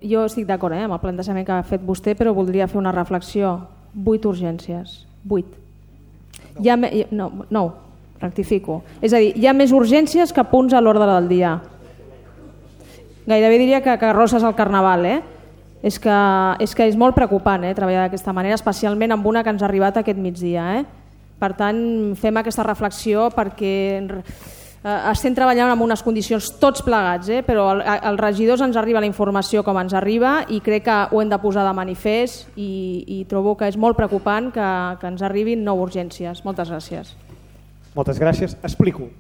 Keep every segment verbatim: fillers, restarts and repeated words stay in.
jo estic d'acord eh, amb el plantejament que ha fet vostè, però voldria fer una reflexió. Vuit urgències. Vuit. Hi ha me... No, no, rectifico. És a dir, hi ha més urgències que punts a l'ordre del dia. Gairebé diria que carrosses al carnaval, eh? És que, és que és molt preocupant eh, treballar d'aquesta manera, especialment amb una que ens ha arribat aquest migdia. Eh? Per tant, fem aquesta reflexió perquè eh, estem treballant en unes condicions tots plegats, eh? Però el, els regidors ens arriba la informació com ens arriba i crec que ho hem de posar de manifest i, i trobo que és molt preocupant que, que ens arribin nou urgències. Moltes gràcies. Moltes gràcies. Explico,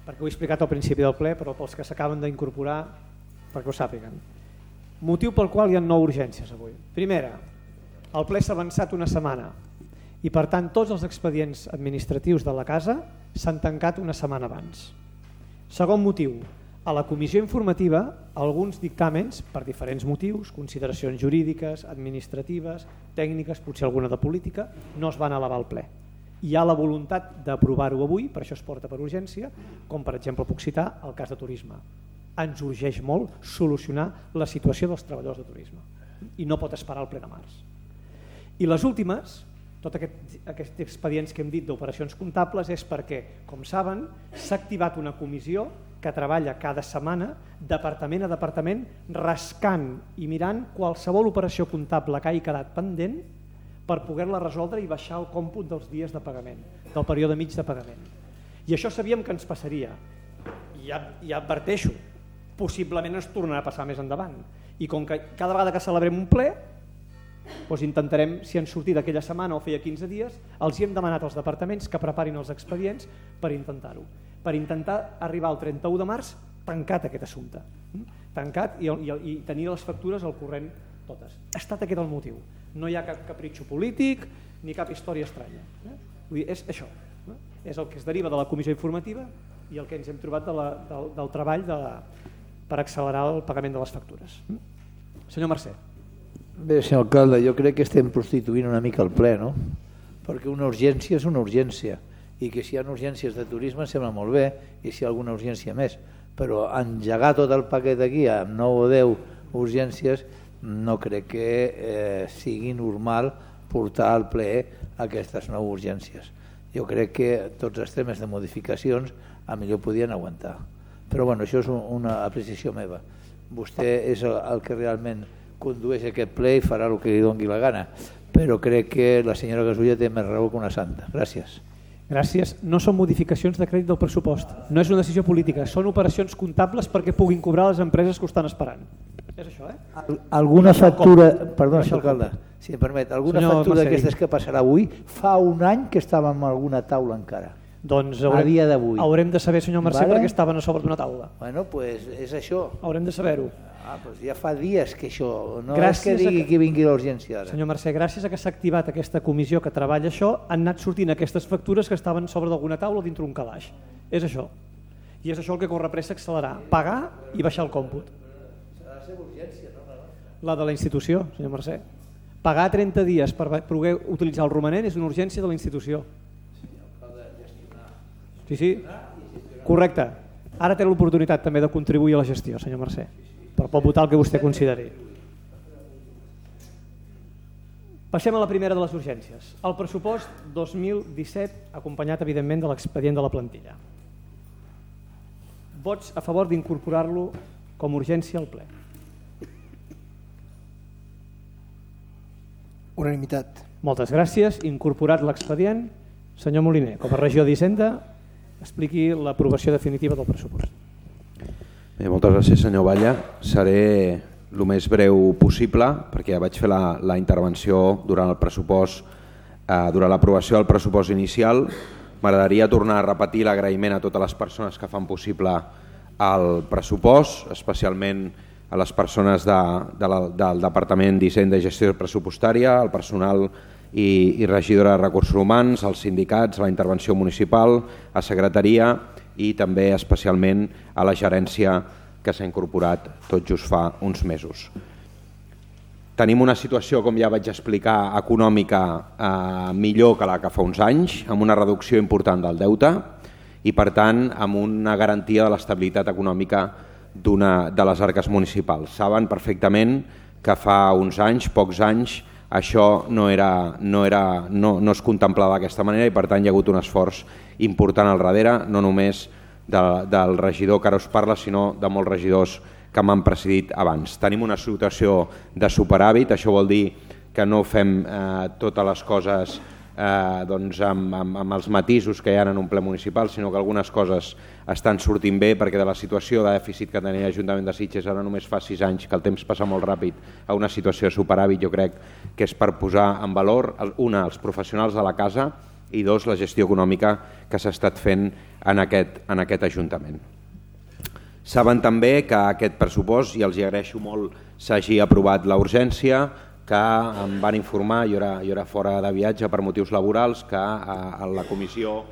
perquè ho he explicat al principi del ple, però pels que s'acaben d'incorporar, perquè ho sàpiguen. Motiu pel qual hi ha nou urgències avui. Primera, el ple s'ha avançat una setmana i per tant tots els expedients administratius de la casa s'han tancat una setmana abans. Segon motiu, a la comissió informativa alguns dictàmens, per diferents motius, consideracions jurídiques, administratives, tècniques, potser alguna de política, no es van elevar al ple. Hi ha la voluntat d'aprovar-ho avui, per això es porta per urgència, com per exemple puc citar el cas de turisme. Ens urgeix molt solucionar la situació dels treballadors de turisme i no pot esperar el ple de març. I les últimes, tots aquests, aquests expedients que hem dit d'operacions comptables és perquè, com saben, s'ha activat una comissió que treballa cada setmana, departament a departament, rascant i mirant qualsevol operació comptable que hagi quedat pendent per poder-la resoldre i baixar el còmput dels dies de pagament, del període mig de pagament. I això sabíem que ens passaria. I ja, ja adverteixo, possiblement ens tornarà a passar més endavant. I com que cada vegada que celebrem un ple, doncs intentarem, si han sortit aquella setmana o feia quinze dies, els hi hem demanat als departaments que preparin els expedients per intentar-ho. Per intentar arribar al trenta-u de març tancat aquest assumpte. Tancat i, i, i tenir les factures al corrent totes. Ha estat aquest el motiu. No hi ha cap capritxo polític ni cap història estranya. Vull dir, és això. És el que es deriva de la comissió informativa i el que ens hem trobat de la, del, del treball de la, per accelerar el pagament de les factures. Senyor Mercè. Bé, senyor alcalde, jo crec que estem prostituint una mica el ple, no? Perquè una urgència és una urgència i que si hi ha urgències de turisme sembla molt bé i si hi ha alguna urgència més, però engegar tot el paquet aquí amb nou o deu urgències no crec que eh, sigui normal portar al ple aquestes nou urgències. Jo crec que tots els temes de modificacions a millor podien aguantar. Però bueno, això és una apreciació meva. Vostè és el, el que realment condueix aquest ple i farà el que li doni la gana. Però crec que la senyora Gasulla té més raó que una santa. Gràcies. Gràcies. No són modificacions de crèdit del pressupost. No és una decisió política. Són operacions comptables perquè puguin cobrar les empreses que ho estan esperant. És això, eh? Al, alguna factura... Perdona, senyor alcalde, si em permet. Alguna senyor factura d'aquestes que passarà avui fa un any que estàvem en alguna taula encara. Doncs haurem, a dia d'avui. Haurem de saber, senyor Mercè, vale? Perquè estaven a sobre d'una taula. Bueno, doncs pues és això. Haurem de saber-ho. Ah, doncs ja fa dies que això, no gràcies és que digui que... que vingui l'urgència ara. Senyor Mercè, gràcies a que s'ha activat aquesta comissió que treballa això, han anat sortint aquestes factures que estaven sobre d'alguna taula dintre un calaix. És això. I és això el que corre pressa accelerar. Pagar i baixar el còmput. Serà la seva urgència, no? La de la institució, senyor Mercè. Pagar trenta dies per poder utilitzar el romanent és una urgència de la institució. Sí, sí, correcte. Ara té l'oportunitat també de contribuir a la gestió, senyor Mercè, però pot votar el que vostè consideri. Passem a la primera de les urgències. El pressupost dos mil disset, acompanyat evidentment de l'expedient de la plantilla. Vots a favor d'incorporar-lo com a urgència al ple. Unanimitat. Moltes gràcies. Incorporat l'expedient, senyor Moliner, com a regidor d'Hisenda, expliqui l'aprovació definitiva del pressupost. Bé, moltes gràcies, senyor Batlle. Seré el més breu possible perquè ja vaig fer la, la intervenció durant el pressupost, eh, durant l'aprovació del pressupost inicial. M'agradaria tornar a repetir l'agraïment a totes les persones que fan possible el pressupost, especialment a les persones de, de la, del Departament d'Hisenda i Gestió Pressupostària, al personal i, i regidora de Recursos Humans, als sindicats, a la intervenció municipal, a secretaria i també especialment a la gerència que s'ha incorporat tot just fa uns mesos. Tenim una situació, com ja vaig explicar, econòmica eh, millor que la que fa uns anys, amb una reducció important del deute i, per tant, amb una garantia de l'estabilitat econòmica d'una de les arques municipals. Saben perfectament que fa uns anys, pocs anys, això no, era, no, era, no, no es contemplava d'aquesta manera i per tant hi ha hagut un esforç important al darrere, no només de, del regidor que ara us parla, sinó de molts regidors que m'han precedit abans. Tenim una situació de superàvit, això vol dir que no fem eh, totes les coses eh, doncs amb, amb, amb els matisos que hi ha en un ple municipal, sinó que algunes coses estan sortint bé, perquè de la situació de dèficit que tenia l'Ajuntament de Sitges ara només fa sis anys, que el temps passa molt ràpid, a una situació de superàvit, jo crec que és per posar en valor, una, els professionals de la casa, i dos, la gestió econòmica que s'ha estat fent en aquest, en aquest Ajuntament. Saben també que aquest pressupost, i els hi agraeixo molt, s'hagi aprovat la urgència, que em van informar, jo era, jo era fora de viatge per motius laborals, que a, a la comissió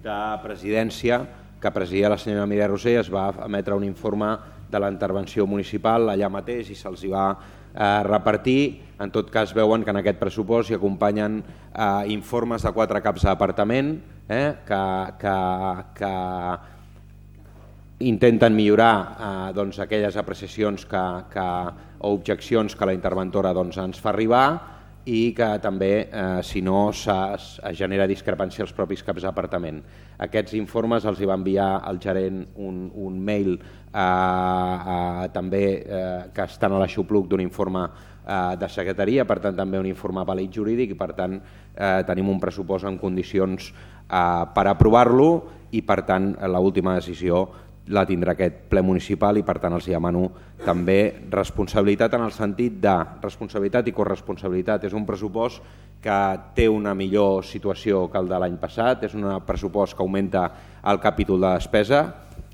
de presidència que presidia la senyora Mireia Roser es va emetre un informe de la intervenció municipal allà mateix i se'ls va eh, repartir. En tot cas veuen que en aquest pressupost hi acompanyen eh, informes de quatre caps d'apartament eh, que, que, que intenten millorar eh, doncs, aquelles apreciacions que, que, o objeccions que la interventora doncs, ens fa arribar i que també, eh, si no, es genera discrepància als propis caps d'apartament. Aquests informes els hi va enviar el gerent un, un mail eh, eh, també eh, que estan a l'aixopluc d'un informe eh, de secretaria, per tant també un informe vàlid jurídic i per tant eh, tenim un pressupost en condicions eh, per aprovar-lo i per tant l'última decisió la tindrà aquest ple municipal i per tant els demano també responsabilitat en el sentit de responsabilitat i corresponsabilitat. És un pressupost que té una millor situació que el de l'any passat, és un pressupost que augmenta el capítol de despesa,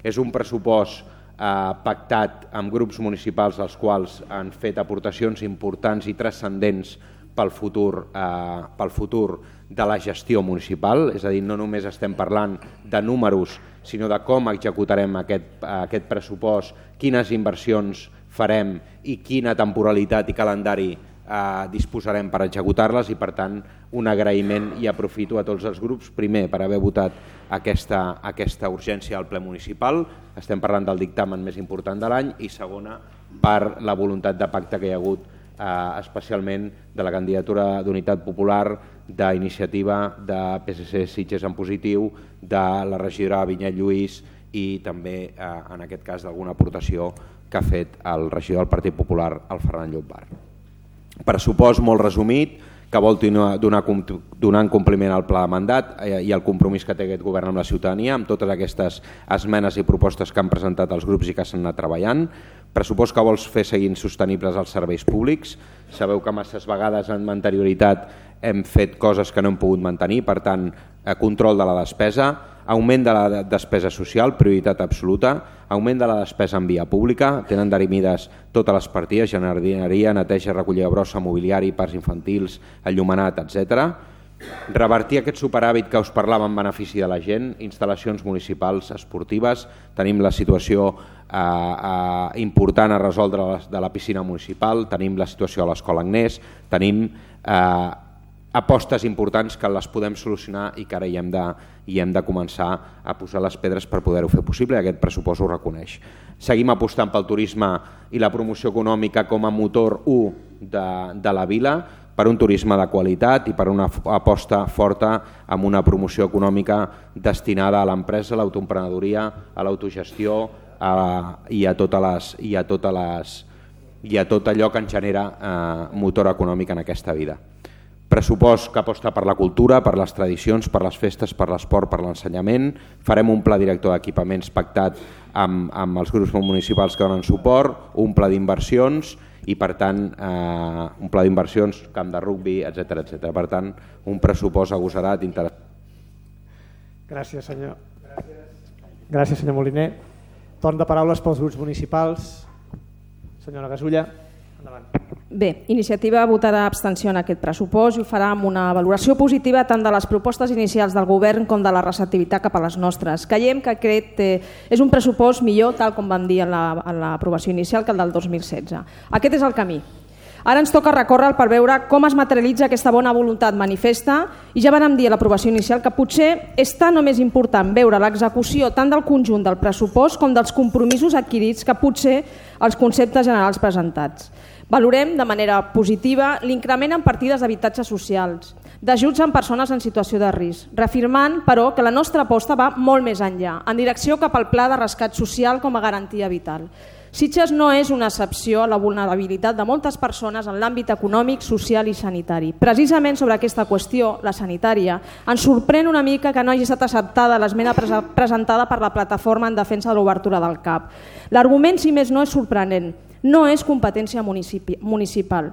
és un pressupost eh, pactat amb grups municipals als quals han fet aportacions importants i transcendents pel futur, eh, pel futur de la gestió municipal, és a dir, no només estem parlant de números, sinó de com executarem aquest, aquest pressupost, quines inversions farem i quina temporalitat i calendari eh, disposarem per executar-les i, per tant, un agraïment i aprofito a tots els grups, primer, per haver votat aquesta, aquesta urgència al ple municipal, estem parlant del dictamen més important de l'any, i segona, per la voluntat de pacte que hi ha hagut eh, especialment de la candidatura d'Unitat Popular, d'iniciativa de P S C Sitges en positiu, de la regidora Vinyet Lluís i també, eh, en aquest cas, d'alguna aportació que ha fet el regidor del Partit Popular, el Ferran Llombart. Pressupost molt resumit, que vol donar, donant compliment al pla de mandat i al compromís que té aquest govern amb la ciutadania, amb totes aquestes esmenes i propostes que han presentat els grups i que s'han anat treballant. Pressupost que vols fer seguint sostenibles els serveis públics. Sabeu que masses vegades en anterioritat hem fet coses que no hem pogut mantenir, per tant, control de la despesa, augment de la despesa social, prioritat absoluta, augment de la despesa en via pública, tenen derimides totes les partides, jardineria, neteja, recollida brossa, mobiliari, parcs infantils, enllumenat, etcètera. Revertir aquest superàvit que us parlava en benefici de la gent, instal·lacions municipals esportives, tenim la situació eh, eh, important a resoldre de la piscina municipal, tenim la situació de l'Escola Agnès, tenim eh, apostes importants que les podem solucionar i que ara hi hem, de, hi hem de començar a posar les pedres per poder-ho fer possible i aquest pressupost ho reconeix. Seguim apostant pel turisme i la promoció econòmica com a motor u de, de la vila, per un turisme de qualitat i per una aposta forta amb una promoció econòmica destinada a l'empresa, a l'autoemprenedoria, a l'autogestió i a totes les, i a totes les, i a tot allò que ens genera eh, motor econòmic en aquesta vida. Pressupost que aposta per la cultura, per les tradicions, per les festes, per l'esport, per l'ensenyament. Farem un pla director d'equipaments pactat amb, amb els grups municipals que donen suport, un pla d'inversions i, per tant, eh, un pla d'inversions, camp de rugbi, etcètera, etcètera. Per tant, un pressupost agosarat, interessant. Gràcies, senyor. Gràcies, Gràcies senyor Moliner. Torn de paraules pels grups municipals. Senyora Gasulla, endavant. Bé, iniciativa votarà abstenció en aquest pressupost i ho farà amb una valoració positiva tant de les propostes inicials del govern com de la receptivitat cap a les nostres. Creiem que aquest eh, és un pressupost millor, tal com vam dir en l'aprovació inicial, que el del dos mil setze. Aquest és el camí. Ara ens toca recórrer per veure com es materialitza aquesta bona voluntat manifesta i ja vam dir a l'aprovació inicial que potser és tan o més important veure l'execució tant del conjunt del pressupost com dels compromisos adquirits que potser els conceptes generals presentats. Valorem de manera positiva l'increment en partides d'habitatges socials, d'ajuts en persones en situació de risc, reafirmant, però, que la nostra aposta va molt més enllà, en direcció cap al pla de rescat social com a garantia vital. Sitges no és una excepció a la vulnerabilitat de moltes persones en l'àmbit econòmic, social i sanitari. Precisament sobre aquesta qüestió, la sanitària, ens sorprèn una mica que no hagi estat acceptada l'esmena presentada per la plataforma en defensa de l'obertura del C A P. L'argument, si més no, és sorprenent. No és competència municipal.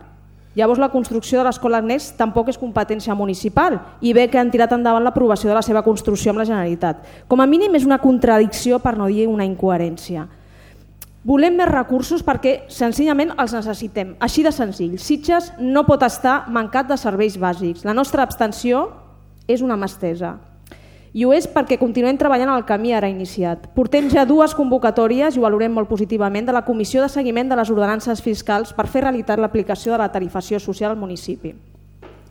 Llavors la construcció de l'escola Next tampoc és competència municipal i bé que han tirat endavant l'aprovació de la seva construcció amb la Generalitat. Com a mínim és una contradicció, per no dir una incoherència. Volem més recursos perquè senzillament els necessitem, així de senzill. Sitges no pot estar mancat de serveis bàsics. La nostra abstenció és una mà estesa. I ho és perquè continuem treballant en el camí ara iniciat. Portem ja dues convocatòries, i ho valorem molt positivament, de la Comissió de Seguiment de les Ordenances Fiscals per fer realitat l'aplicació de la tarifació social al municipi.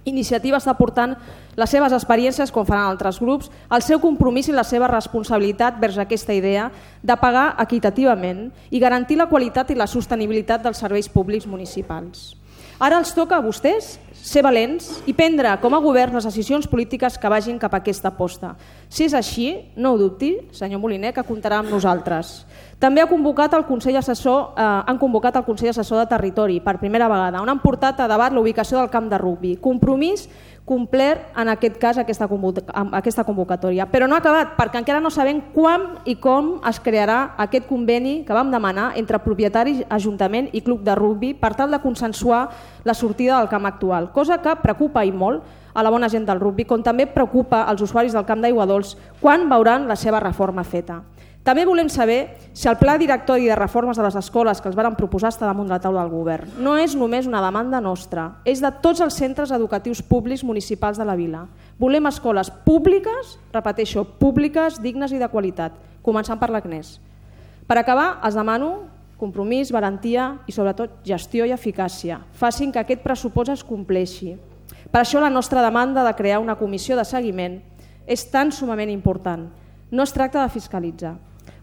Iniciativa està portant les seves experiències, com faran altres grups, el seu compromís i la seva responsabilitat vers aquesta idea de pagar equitativament i garantir la qualitat i la sostenibilitat dels serveis públics municipals. Ara els toca a vostès ser valents i prendre com a govern les decisions polítiques que vagin cap a aquesta aposta. Si és així, no ho dubti, senyor Moliner, que comptarà amb nosaltres. També ha convocat el Consell Assessor, eh, han convocat el Consell Assessor de Territori per primera vegada, on han portat a debat la ubicació del camp de rugbi. Compromís complert en aquest cas aquesta convocatòria. Però no ha acabat, perquè encara no sabem quan i com es crearà aquest conveni que vam demanar entre propietaris, Ajuntament i Club de Rugbi per tal de consensuar la sortida del camp actual, cosa que preocupa i molt a la bona gent del rugbi, com també preocupa als usuaris del camp d'Aigua Dols quan veuran la seva reforma feta. També volem saber si el pla directori de reformes de les escoles que els varen proposar està damunt la taula del govern. No és només una demanda nostra, és de tots els centres educatius públics municipals de la vila. Volem escoles públiques, repeteixo, públiques, dignes i de qualitat, començant per l'A C N E S. Per acabar, els demano compromís, valentia i sobretot gestió i eficàcia. Facin que aquest pressupost es compleixi. Per això la nostra demanda de crear una comissió de seguiment és tan sumament important. No es tracta de fiscalitzar.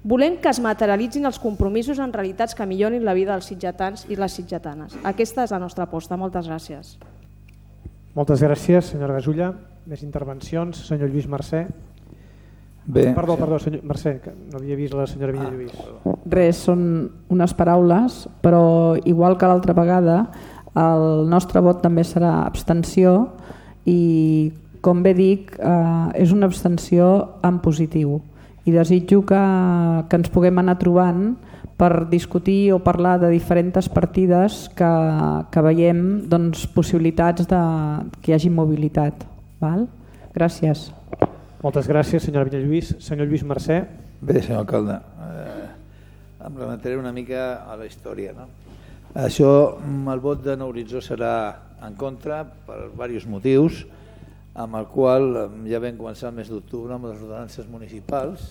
Volem que es materialitzin els compromisos en realitats que millorin la vida dels sitgetans i les sitgetanes. Aquesta és la nostra aposta. Moltes gràcies. Moltes gràcies, senyora Gasulla. Més intervencions. Senyor Lluís Mercè. Bé. Perdó, perdó, senyor Mercè, que no havia vist la senyora Villa Lluís. Ah, res, són unes paraules, però igual que l'altra vegada, el nostre vot també serà abstenció i, com bé dic, eh, és una abstenció en positiu. I desitjo que, que ens puguem anar trobant per discutir o parlar de diferents partides que, que veiem doncs, possibilitats de que hi hagi mobilitat. Val? Gràcies. Moltes gràcies, senyora Villalluís. Senyor Lluís Mercè. Bé, senyor alcalde, eh, em remetré una mica a la història. No? Això, el vot de Nou Horitzó serà en contra per diversos motius, amb el qual ja vam començar el mes d'octubre amb les ordenances municipals.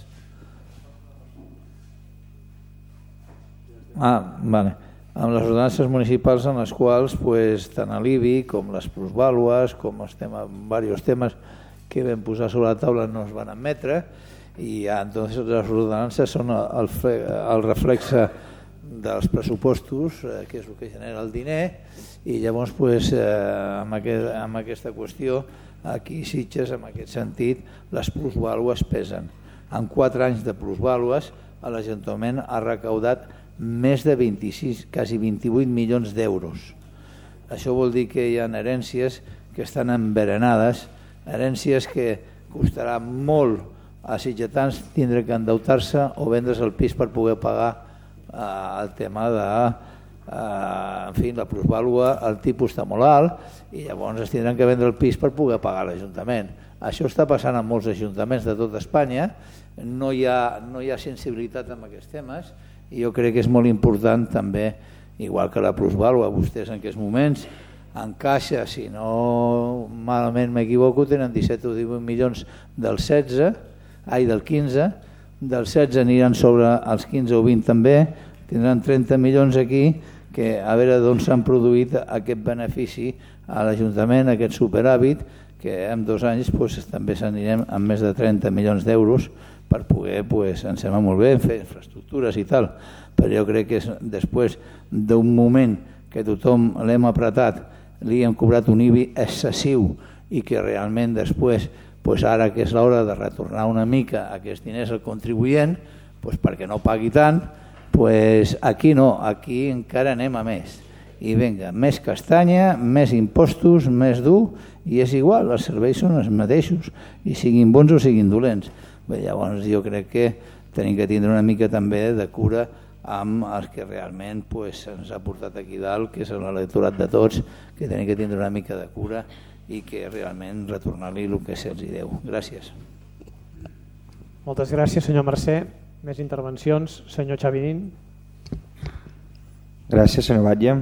Ah, vale. Amb les ordenances municipals en les quals pues, tant l'I B I com les plusvàlues, com els temes, diversos temes que vam posar sobre la taula no es van admetre i ja, entonces les ordenances són el, el reflexe dels pressupostos, eh, que és el que genera el diner, i llavors pues, eh, amb, aquest, amb aquesta qüestió aquí Sitges, en aquest sentit, les plusvàlues pesen. En quatre anys de plusvàlues l'Ajuntament ha recaudat més de vint-i-sis, quasi vint-i-vuit milions d'euros. Això vol dir que hi ha herències que estan enverenades, herències que costarà molt a sitgetans tindre que endeutar-se o vendre's el pis per poder pagar eh, el tema de eh, en fi, la plusvàlua, el tipus està molt alt i llavors es tindran que vendre el pis per poder pagar l'Ajuntament. Això està passant en molts ajuntaments de tot Espanya, no hi ha, no hi ha sensibilitat en aquests temes i jo crec que és molt important també, igual que la plusvàlua, vostès en aquests moments en caixa, si no malament m'equivoco, tenen disset o divuit milions del setze, ai del quinze, del setze aniran sobre els quinze o vint també, tindran trenta milions aquí que a veure d'on s'han produït aquest benefici a l'Ajuntament, aquest superàvit, que en dos anys pues, també s'anirem amb més de trenta milions d'euros per poder, pues, em sembla molt bé, fer infraestructures i tal, però jo crec que és, després d'un moment que tothom l'hem apretat, li hem cobrat un I B I excessiu i que realment després, pues ara que és l'hora de retornar una mica aquests diners al contribuent, pues perquè no pagui tant, pues aquí no, aquí encara anem a més. I vinga, més castanya, més impostos, més dur, i és igual, els serveis són els mateixos, i siguin bons o siguin dolents. Bé, llavors jo crec que tenim que tindre una mica també de cura amb els que realment pues, ens ha portat aquí dalt, que és l'electorat de tots, que tenim que tindre una mica de cura i que realment retornar-li el que se'ls deu. Gràcies. Moltes gràcies, senyor Mercè. Més intervencions. Senyor Xavinín. Gràcies, senyor Batlle.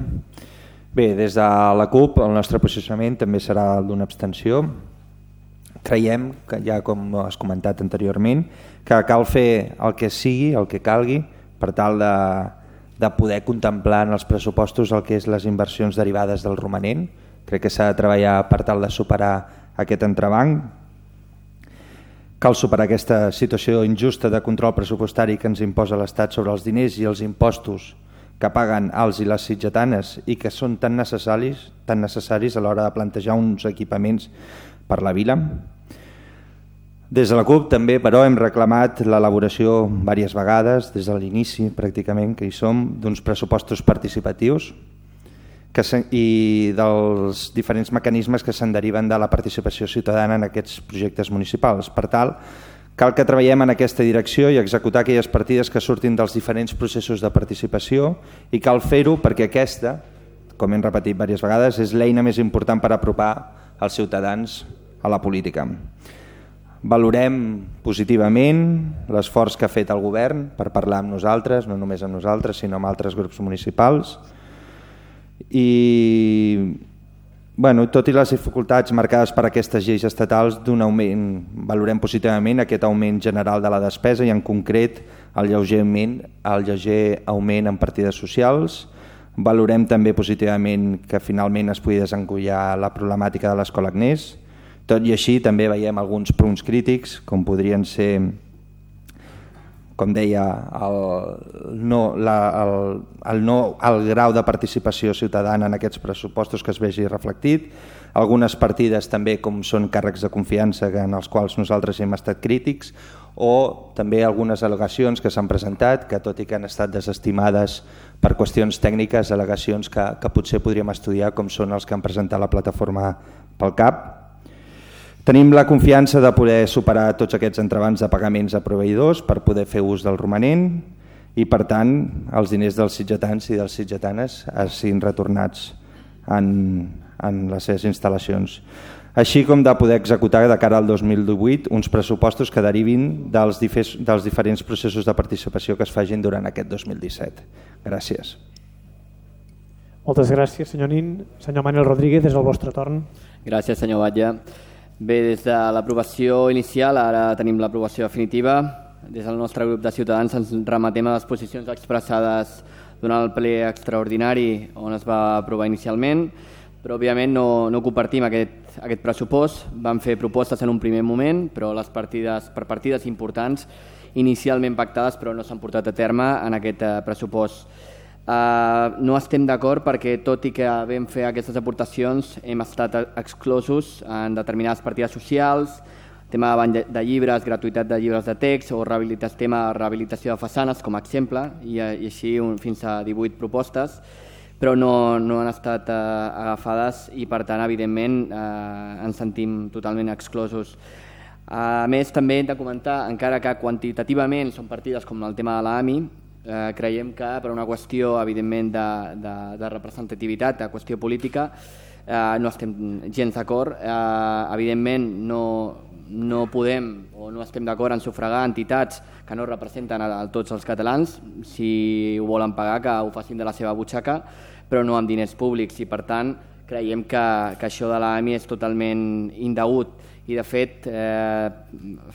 Bé, des de la CUP el nostre posicionament també serà d'una abstenció. Creiem, que ja com has comentat anteriorment, que cal fer el que sigui, el que calgui, per tal de, de poder contemplar en els pressupostos el que és les inversions derivades del romanent. Crec que s'ha de treballar per tal de superar aquest entrebanc. Cal superar aquesta situació injusta de control pressupostari que ens imposa l'Estat sobre els diners i els impostos que paguen els i les sitgetanes i que són tan necessaris, tan necessaris a l'hora de plantejar uns equipaments per la vila. Des de la CUP també, però, hem reclamat l'elaboració diverses vegades, des de l'inici pràcticament que hi som, d'uns pressupostos participatius que i dels diferents mecanismes que se'n deriven de la participació ciutadana en aquests projectes municipals. Per tal, cal que treballem en aquesta direcció i executar aquelles partides que surtin dels diferents processos de participació i cal fer-ho perquè aquesta, com hem repetit diverses vegades, és l'eina més important per apropar els ciutadans a la política. Valorem positivament l'esforç que ha fet el govern per parlar amb nosaltres, no només amb nosaltres, sinó amb altres grups municipals. I bueno, tot i les dificultats marcades per aquestes lleis estatals d'un augment, valorem positivament aquest augment general de la despesa i en concret el lleuger augment, el lleuger augment en partides socials. Valorem també positivament que finalment es pugui desencollar la problemàtica de l'escola Agnès. Tot i així també veiem alguns punts crítics com podrien ser, com deia, el, no, la, el, el, no, el grau de participació ciutadana en aquests pressupostos que es vegi reflectit, algunes partides també com són càrrecs de confiança en els quals nosaltres hem estat crítics, o també algunes al·legacions que s'han presentat, que tot i que han estat desestimades per qüestions tècniques, al·legacions que, que potser podríem estudiar, com són els que han presentat la plataforma pel C A P. Tenim la confiança de poder superar tots aquests entrebancs de pagaments a proveïdors per poder fer ús del romanent i, per tant, els diners dels sitgetans i dels sitgetanes siguin retornats en, en les seves instal·lacions. Així com de poder executar de cara al dos mil divuit uns pressupostos que derivin dels, dels diferents processos de participació que es facin durant aquest dos mil disset. Gràcies. Moltes gràcies, senyor Nin. Senyor Manuel Rodríguez, és el vostre torn. Gràcies, senyor Batlle. Bé, des de l'aprovació inicial, ara tenim l'aprovació definitiva. Des del nostre grup de Ciutadans ens remetem a les posicions expressades durant el ple extraordinari on es va aprovar inicialment, però òbviament no, no compartim aquest, aquest pressupost. Vam fer propostes en un primer moment, però les partides, per partides importants inicialment pactades però no s'han portat a terme en aquest eh, pressupost. Uh, no estem d'acord perquè, tot i que vam fer aquestes aportacions, hem estat exclosos en determinades partides socials, tema de banc de llibres, gratuïtat de llibres de text o rehabilitació, tema de rehabilitació de façanes com a exemple, i, i així un, fins a divuit propostes, però no, no han estat uh, agafades i, per tant, evidentment, uh, ens sentim totalment exclosos. A més, també hem de comentar, encara que quantitativament són partides com el tema de l'A M I, Eh, creiem que per una qüestió evidentment de, de, de representativitat, de qüestió política, eh, no estem gens d'acord. Eh, evidentment no, no podem o no estem d'acord en sufragar entitats que no representen a, a tots els catalans. Si ho volen pagar, que ho facin de la seva butxaca, però no amb diners públics, i per tant creiem que, que això de l'A M I és totalment indegut. I de fet, eh,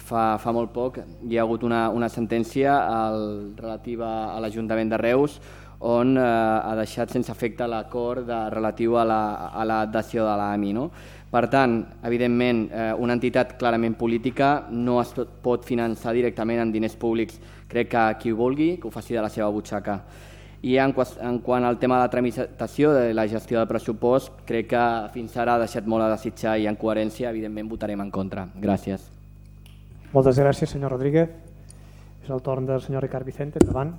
fa, fa molt poc hi ha hagut una, una sentència al, relativa a l'Ajuntament de Reus on eh, ha deixat sense efecte l'acord relatiu a la, a la dació de l'A M I. No? Per tant, evidentment, eh, una entitat clarament política no es pot finançar directament amb diners públics. Crec que qui ho vulgui, que ho faci de la seva butxaca. I en, en quant al tema de la tramitació de la gestió del pressupost, crec que fins ara ha deixat molt a desitjar i en coherència, evidentment, votarem en contra. Gràcies. Moltes gràcies, senyor Rodríguez. És el torn del senyor Ricard Vicente. Endavant.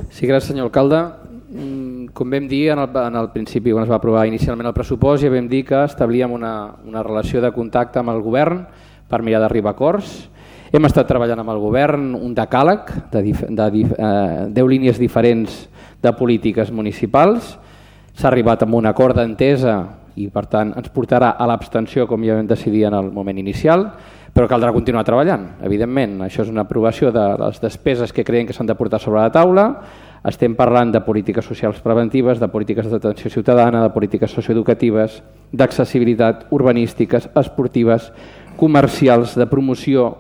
Sí, gràcies, senyor alcalde. Com vam dir en el, en el principi, quan es va aprovar inicialment el pressupost, ja vam dir que establíem una, una relació de contacte amb el govern per mirar d'arribar a acords. Hem estat treballant amb el govern un decàleg de, dif, de dif, eh, deu línies diferents de polítiques municipals. S'ha arribat amb un acord d'entesa i per tant ens portarà a l'abstenció com ja vam decidir en el moment inicial, però caldrà continuar treballant, evidentment. Això és una aprovació de les despeses que creiem que s'han de portar sobre la taula. Estem parlant de polítiques socials preventives, de polítiques d'atenció ciutadana, de polítiques socioeducatives, d'accessibilitat, urbanístiques, esportives, comercials, de promoció,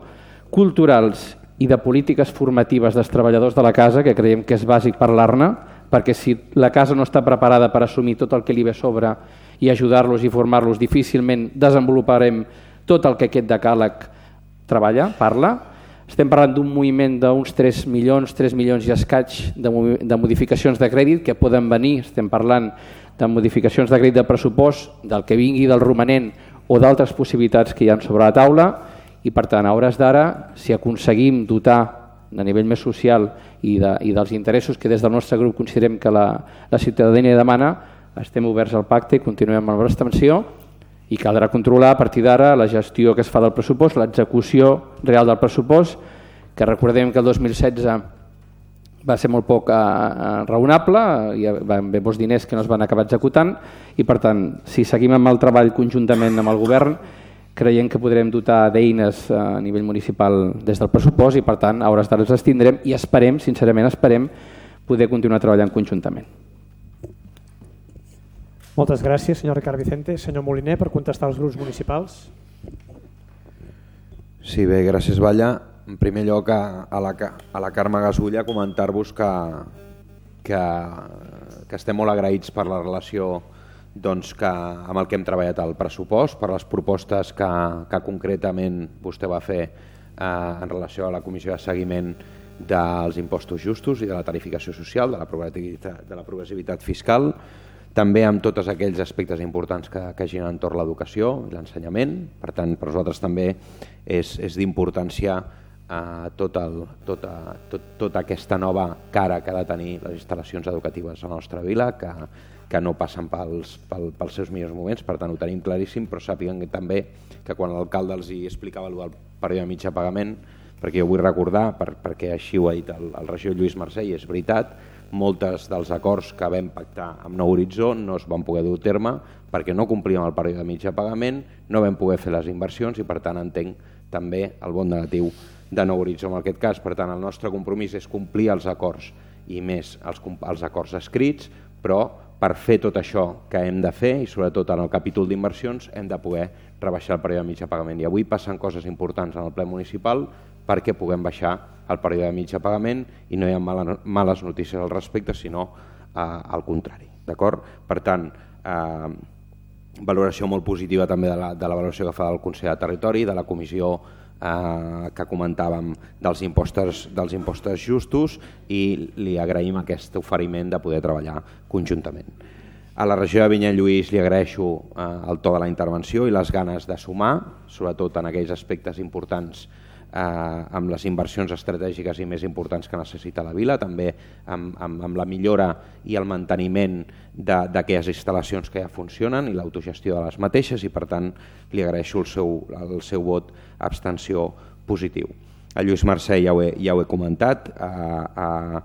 culturals i de polítiques formatives dels treballadors de la casa, que creiem que és bàsic parlar-ne, perquè si la casa no està preparada per assumir tot el que li ve a sobre i ajudar-los i formar-los, difícilment desenvoluparem tot el que aquest decàleg treballa, parla. Estem parlant d'un moviment d'uns tres milions, tres milions i escaig de, de modificacions de crèdit que poden venir. Estem parlant de modificacions de crèdit de pressupost, del que vingui del romanent o d'altres possibilitats que hi ha sobre la taula i per tant a hores d'ara, si aconseguim dotar a nivell més social i, de, i dels interessos que des del nostre grup considerem que la, la ciutadania demana, estem oberts al pacte i continuem amb l'abstenció. I caldrà controlar a partir d'ara la gestió que es fa del pressupost, l'execució real del pressupost, que recordem que el dos mil setze va ser molt poc eh, raonable, hi van haver molts diners que no es van acabar executant i per tant, si seguim amb el treball conjuntament amb el govern, creiem que podrem dotar d'eines a nivell municipal des del pressupost i per tant, a hores d'ara ens tindrem i esperem, sincerament esperem, poder continuar treballant conjuntament. Moltes gràcies, senyor Ricard Vicente. Senyor Moliner, per contestar als grups municipals. Sí, bé, gràcies, Balla. En primer lloc, a, a, la, a la Carme Gasulla, comentar-vos que, que, que estem molt agraïts per la relació doncs, que, amb el que hem treballat al pressupost, per les propostes que, que concretament vostè va fer eh, en relació a la comissió de seguiment dels impostos justos i de la tarificació social, de la progressivitat, de la progressivitat fiscal, també amb tots aquells aspectes importants que, que giren entorn l'educació i l'ensenyament. Per tant, per nosaltres també és, és d'importància eh, tot el, tota, tot, tota aquesta nova cara que ha de tenir les instal·lacions educatives a la nostra vila, que, que no passen pels, pel, pels seus millors moments, per tant ho tenim claríssim, però sàpiguen que també que quan l'alcalde els hi explicava el període de mitjà pagament, perquè jo vull recordar, per, perquè així ho ha dit el, el regidor Lluís Mercè, i és veritat, moltes dels acords que vam pactar amb Nou Horitzó no es van poder dur a terme perquè no complíem el període de mitjà pagament, no vam poder fer les inversions i per tant entenc també el bon negatiu de Nou Horitzó en aquest cas. Per tant, el nostre compromís és complir els acords i més els, els acords escrits, però per fer tot això que hem de fer i sobretot en el capítol d'inversions hem de poder rebaixar el període de mitjà pagament. I avui passen coses importants en el ple municipal perquè puguem baixar el període de mitjà pagament i no hi ha males notícies al respecte, sinó eh, al contrari. D'acord? Per tant, eh, valoració molt positiva també de la, de la valoració que fa el Consell de Territori, de la comissió eh, que comentàvem dels impostos, dels impostos justos i li agraïm aquest oferiment de poder treballar conjuntament. A la regió de Vinya-Lluís li agraeixo eh, el to de la intervenció i les ganes de sumar, sobretot en aquells aspectes importants Eh, amb les inversions estratègiques i més importants que necessita la vila, també amb, amb, amb la millora i el manteniment d'aquelles instal·lacions que ja funcionen i l'autogestió de les mateixes i per tant li agraeixo el seu, el seu vot abstenció positiu. A Lluís Mercè ja ho he, ja ho he comentat, eh, eh,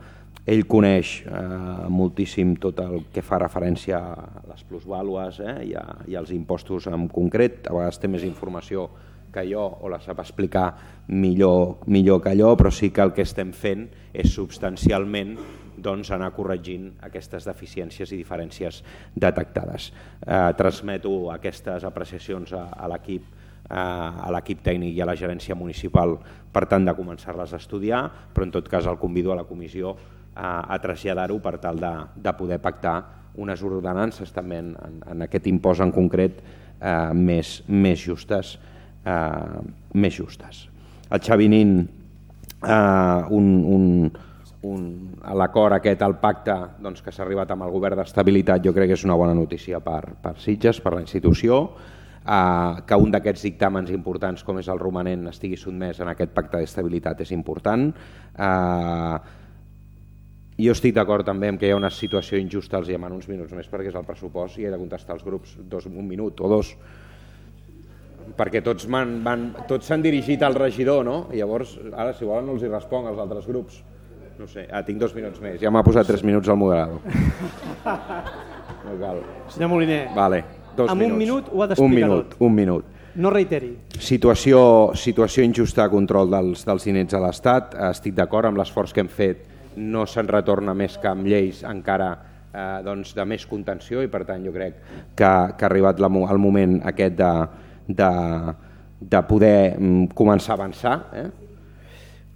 ell coneix eh, moltíssim tot el que fa referència a les plusvàlues eh, i, a, i als impostos en concret, a vegades té més informació que jo o la sap explicar millor, millor que allò, però sí que el que estem fent és substancialment doncs, anar corregint aquestes deficiències i diferències detectades. Eh, transmeto aquestes apreciacions a, a l'equip eh, a l'equip tècnic i a la gerència municipal per tant de començar-les a estudiar, però en tot cas el convido a la comissió a, a traslladar-ho per tal de, de poder pactar unes ordenances també en, en aquest impost en concret eh, més, més justes. Eh, més justes. El Xavi Nin, eh, un, un, un, a l'acord aquest, al pacte doncs, que s'ha arribat amb el govern d'estabilitat, jo crec que és una bona notícia per, per Sitges, per la institució, eh, que un d'aquests dictàmens importants com és el romanent estigui sotmès en aquest pacte d'estabilitat és important. Eh, jo estic d'acord també amb que hi ha una situació injusta, els demano uns minuts més perquè és el pressupost i he de contestar als grups dos, un minut o dos, perquè tots van, van, tots s'han dirigit al regidor, no? I llavors, ara si volen no els hi responc als altres grups. No sé, ah, tinc dos minuts més, ja m'ha posat tres minuts al moderador. No cal. Senyor Moliner, vale, dos amb minuts. un minut ho ha d'explicar tot. Un minut. No reiteri. Situació, situació injusta de control dels, dels diners a l'Estat. Estic d'acord amb l'esforç que hem fet. No se'n retorna més que amb lleis encara eh, doncs, de més contenció i per tant jo crec que, que ha arribat la, el moment aquest de, de, de poder mm, començar a avançar. Eh?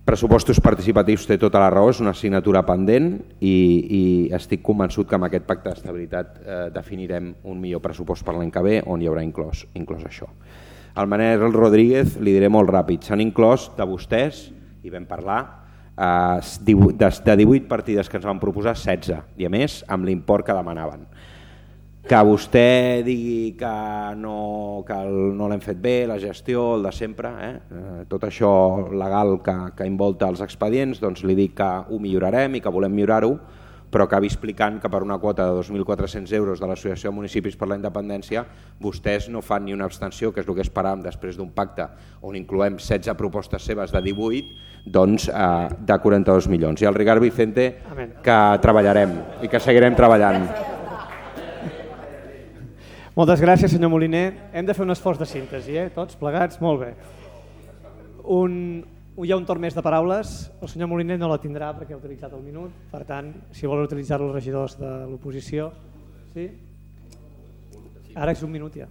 Pressupostos participatius té tota la raó, és una assignatura pendent i, i estic convençut que amb aquest pacte d'estabilitat eh, definirem un millor pressupost per l'any que ve on hi haurà inclòs, inclòs això. Al Manel Rodríguez li diré molt ràpid, s'han inclòs de vostès, i vam parlar, eh, de divuit partides que ens van proposar, setze, i a més amb l'import que demanaven. Que vostè digui que no, que el, no l'hem fet bé, la gestió, el de sempre, eh? tot això legal que, que envolta els expedients, doncs li dic que ho millorarem i que volem millorar-ho, però acabi explicant que per una quota de dos mil quatre-cents euros de l'Associació de Municipis per la Independència vostès no fan ni una abstenció, que és el que esperàvem després d'un pacte on incloem setze propostes seves de divuit, doncs eh, de quaranta-dos milions. I al Ricard Vicente que treballarem i que seguirem treballant. Moltes gràcies, senyor Moliner. Hem de fer un esforç de síntesi, eh? Tots plegats, molt bé. Un, hi ha un torn més de paraules. El senyor Moliner no la tindrà perquè ha utilitzat el minut. Per tant, si volen utilitzar-lo els regidors de l'oposició. Sí? Ara és un minut ja.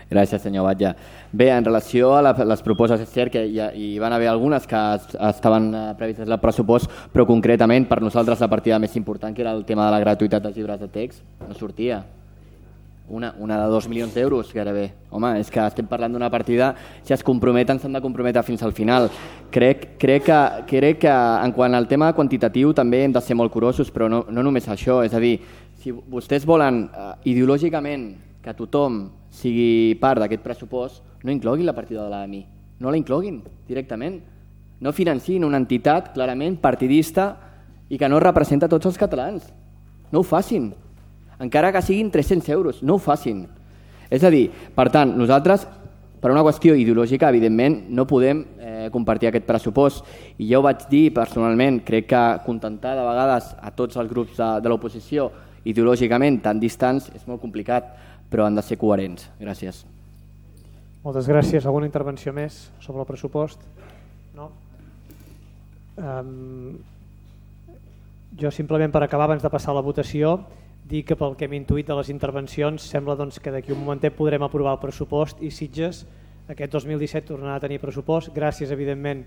Gràcies, senyor Batlle. Bé, en relació a la, les propostes, és cert que hi, ha, hi van haver algunes que es, estaven previstes al pressupost, però concretament per nosaltres la partida més important, que era el tema de la gratuïtat dels llibres de text, no sortia. Una, una de dos milions d'euros, gairebé. Home, és que estem parlant d'una partida, si es comprometen s'han de comprometre fins al final. Crec, crec, que, crec que en quant al tema quantitatiu també hem de ser molt curosos, però no, no només això. És a dir, si vostès volen uh, ideològicament que tothom sigui part d'aquest pressupost, no incloguin la partida de l'A M I. No la incloguin directament. No financin una entitat clarament partidista i que no representa tots els catalans. No ho facin. Encara que siguin tres-cents euros, no ho facin. És a dir, per tant, nosaltres, per una qüestió ideològica, evidentment, no podem eh, compartir aquest pressupost. I ja ho vaig dir personalment, crec que contentar de vegades a tots els grups de, de l'oposició ideològicament tan distants és molt complicat, però han de ser coherents. Gràcies. Moltes gràcies. Alguna intervenció més sobre el pressupost? No? Um, jo simplement per acabar, abans de passar a la votació, dir que pel que hem intuït de les intervencions sembla doncs, que d'aquí un momentet podrem aprovar el pressupost i Sitges aquest dos mil disset tornarà a tenir pressupost gràcies evidentment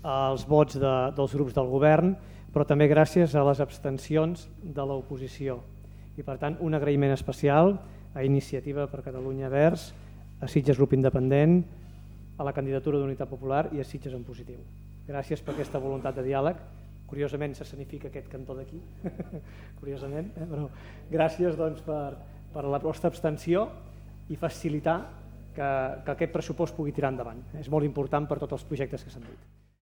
als vots de, dels grups del govern, però també gràcies a les abstencions de l'oposició. I per tant un agraïment especial a Iniciativa per Catalunya Verds, a Sitges Grup Independent, a la candidatura d'Unitat Popular i a Sitges en Positiu. Gràcies per aquesta voluntat de diàleg. Curiosament s'escenifica aquest cantó d'aquí, curiosament, eh? Però gràcies doncs, per, per la vostra abstenció i facilitar que, que aquest pressupost pugui tirar endavant. És molt important per tots els projectes que s'han dit.